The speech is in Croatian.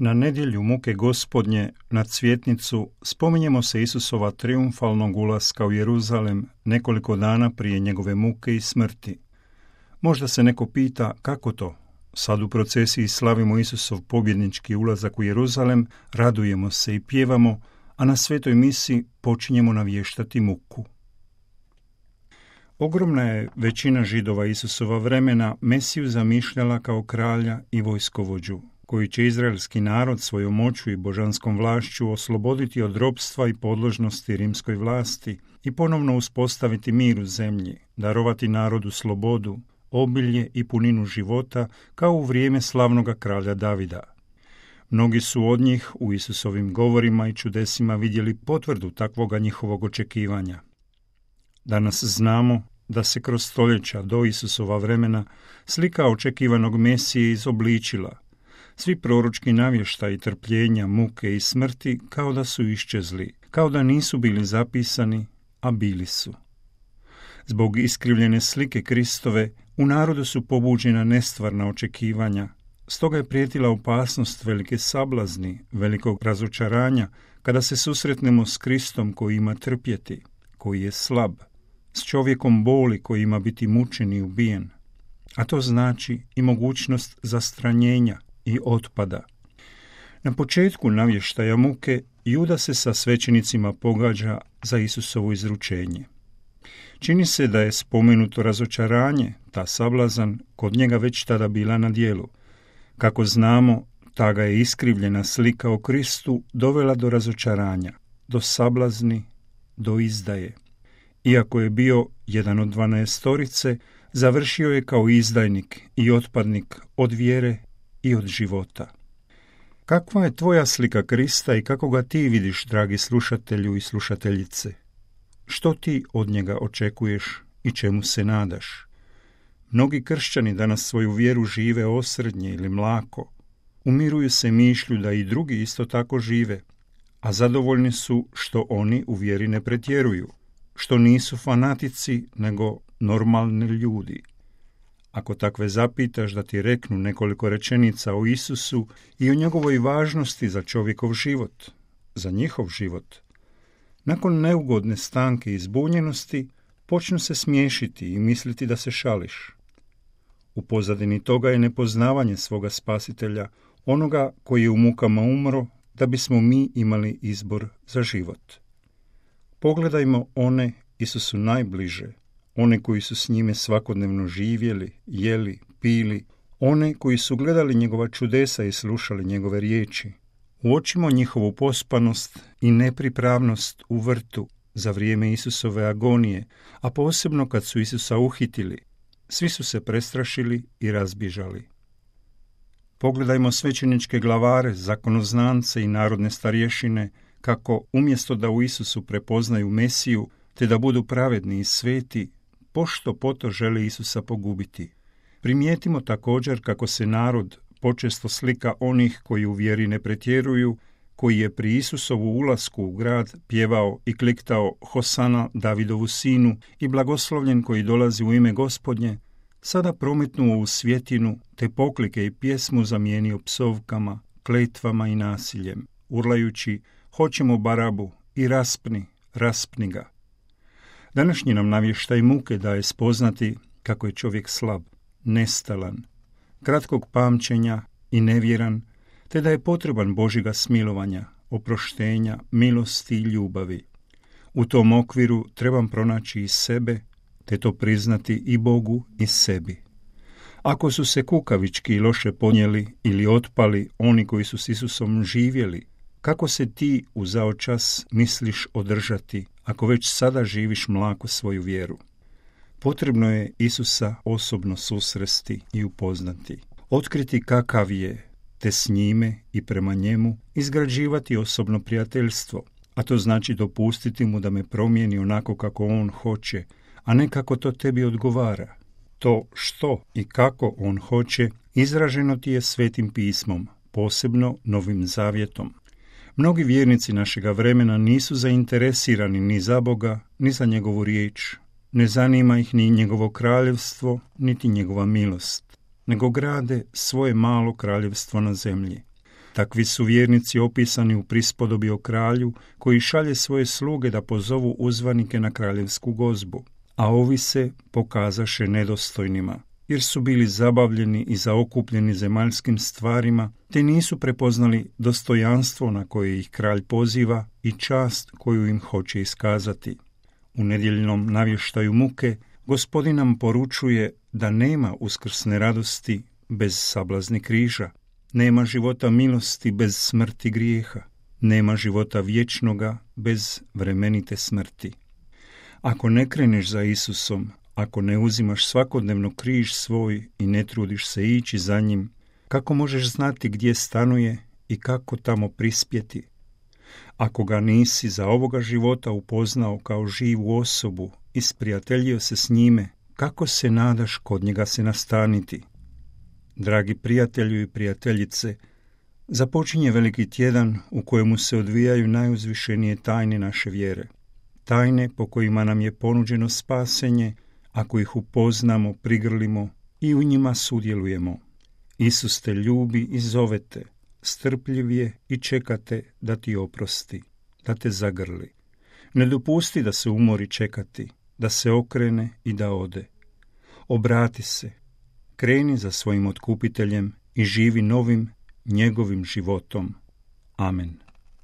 Na nedjelju muke Gospodnje, na Cvjetnicu, spominjemo se Isusova triumfalnog ulaska u Jeruzalem nekoliko dana prije njegove muke i smrti. Možda se neko pita kako to? Sad u procesiji slavimo Isusov pobjednički ulazak u Jeruzalem, radujemo se i pjevamo, a na svetoj misi počinjemo navještati muku. Ogromna je većina Židova Isusova vremena Mesiju zamišljala kao kralja i vojskovođu, koji će izraelski narod svojom moću i božanskom vlašću osloboditi od ropstva i podložnosti rimskoj vlasti i ponovno uspostaviti mir u zemlji, darovati narodu slobodu, obilje i puninu života kao u vrijeme slavnoga kralja Davida. Mnogi su od njih u Isusovim govorima i čudesima vidjeli potvrdu takvoga njihovog očekivanja. Danas znamo da se kroz stoljeća do Isusova vremena slika očekivanog Mesije izobličila. Svi proročki navještaji trpljenja, muke i smrti kao da su iščezli, kao da nisu bili zapisani, a bili su. Zbog iskrivljene slike Kristove u narodu su pobuđena nestvarna očekivanja, stoga je prijetila opasnost velike sablazni, velikog razočaranja, kada se susretnemo s Kristom koji ima trpjeti, koji je slab, s čovjekom boli koji ima biti mučen i ubijen, a to znači i mogućnost zastranjenja i otpada. Na početku navještaja muke Juda se sa svećenicima pogađa za Isusovo izručenje. Čini se da je spomenuto razočaranje, ta sablazan, kod njega već tada bila na djelu. Kako znamo, ta ga je iskrivljena slika o Kristu dovela do razočaranja, do sablazni, do izdaje. Iako je bio jedan od 12, završio je kao izdajnik i otpadnik od vjere i od života. Kakva je tvoja slika Krista i kako ga ti vidiš, dragi slušatelju i slušateljice? Što ti od njega očekuješ i čemu se nadaš? Mnogi kršćani danas svoju vjeru žive osrednje ili mlako. Umiruju se mišlju da i drugi isto tako žive, a zadovoljni su što oni u vjeri ne pretjeruju, što nisu fanatici nego normalni ljudi. Ako takve zapitaš da ti reknu nekoliko rečenica o Isusu i o njegovoj važnosti za čovjekov život, za njihov život, nakon neugodne stanke i zbunjenosti počnu se smiješiti i misliti da se šališ. U pozadini toga je nepoznavanje svoga spasitelja, onoga koji je u mukama umro da bismo mi imali izbor za život. Pogledajmo one Isusu najbliže, one koji su s njime svakodnevno živjeli, jeli, pili, one koji su gledali njegova čudesa i slušali njegove riječi. Uočimo njihovu pospanost i nepripravnost u vrtu za vrijeme Isusove agonije, a posebno kad su Isusa uhitili. Svi su se prestrašili i razbježali. Pogledajmo svećeničke glavare, zakonoznance i narodne starješine, kako umjesto da u Isusu prepoznaju Mesiju, te da budu pravedni i sveti, pošto poto žele Isusa pogubiti. Primijetimo također kako se narod počesto slika onih koji u vjeri ne pretjeruju, koji je pri Isusovu ulasku u grad pjevao i kliktao Hosana Davidovu sinu i blagoslovljen koji dolazi u ime Gospodnje, sada prometnuo u svjetinu te poklike i pjesmu zamijenio psovkama, kletvama i nasiljem, urlajući hoćemo Barabu i raspni ga. Današnji nam navještaj muke daje spoznati kako je čovjek slab, nestalan, kratkog pamćenja i nevjeran, te da je potreban Božjega smilovanja, oproštenja, milosti i ljubavi. U tom okviru trebam pronaći i sebe, te to priznati i Bogu i sebi. Ako su se kukavički i loše ponijeli ili otpali oni koji su s Isusom živjeli, kako se ti u zao čas misliš održati, ako već sada živiš mlako svoju vjeru? Potrebno je Isusa osobno susresti i upoznati, otkriti kakav je, te s njime i prema njemu izgrađivati osobno prijateljstvo, a to znači dopustiti mu da me promijeni onako kako on hoće, a ne kako to tebi odgovara. To što i kako on hoće izraženo ti je Svetim pismom, posebno Novim Zavjetom. Mnogi vjernici našega vremena nisu zainteresirani ni za Boga, ni za njegovu riječ. Ne zanima ih ni njegovo kraljevstvo, niti njegova milost, nego grade svoje malo kraljevstvo na zemlji. Takvi su vjernici opisani u prispodobi o kralju koji šalje svoje sluge da pozovu uzvanike na kraljevsku gozbu, a ovi se pokazaše nedostojnima, jer su bili zabavljeni i zaokupljeni zemaljskim stvarima, te nisu prepoznali dostojanstvo na koje ih kralj poziva i čast koju im hoće iskazati. U nedjeljnom navještaju muke Gospodin nam poručuje da nema uskrsne radosti bez sablazni križa, nema života milosti bez smrti grijeha, nema života vječnoga bez vremenite smrti. Ako ne kreneš za Isusom, ako ne uzimaš svakodnevno križ svoj i ne trudiš se ići za njim, kako možeš znati gdje stanuje i kako tamo prispjeti? Ako ga nisi za ovoga života upoznao kao živu osobu i sprijateljio se s njime, kako se nadaš kod njega se nastaniti? Dragi prijatelju i prijateljice, započinje veliki tjedan u kojemu se odvijaju najuzvišenije tajne naše vjere. Tajne po kojima nam je ponuđeno spasenje, ako ih upoznamo, prigrlimo i u njima sudjelujemo. Isus te ljubi i zovete, strpljiv je i čekate da ti oprosti, da te zagrli. Ne dopusti da se umori čekati, da se okrene i da ode. Obrati se, kreni za svojim otkupiteljem i živi novim njegovim životom. Amen.